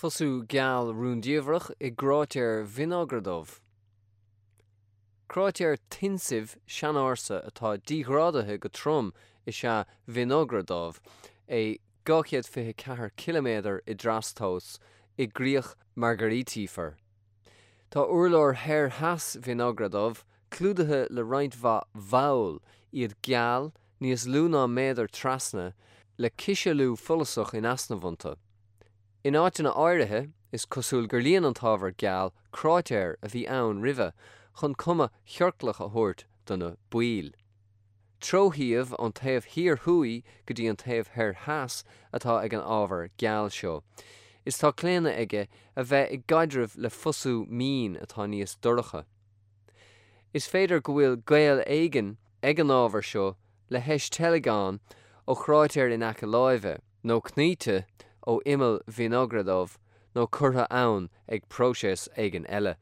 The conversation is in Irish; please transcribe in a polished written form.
Fosú geal rúndiamhrach i gcráitéar Vinogradov. Cráitéar tinsimh seanársa atá díghrádaithe go trom is ea Vinogradov, é 224 ciliméadar i dtrastomhas, i gcríoch Margaritifer. Tá urlár thoir theas Vinogradov clúdaithe le roinnt mhaith bhall, iad geal, níos lú ná méadar trasna, le cisealú follasach in easnamh iontu. In áiteanna áirithe, is cosúil gur líon an t-ábhar geal cráitéir a bhí ann roimhe chun cuma chiorclach a thabhairt do na baill. Treoshuíomh ón taobh thiar thuaidh go dtí an taobh thoir theas atá ag an ábhar geal seo, is tá claonadh aige a bheith i gcaidreamh le fosú mín atá níos dorcha. Is féidir go bhfuil gaol éigin ag an ábhar seo le heisteilgeán ó chráitéar in aice láimhe, nó cnaíte ó imeall Vinogradov nó curtha ann ag próiseas éigin eile.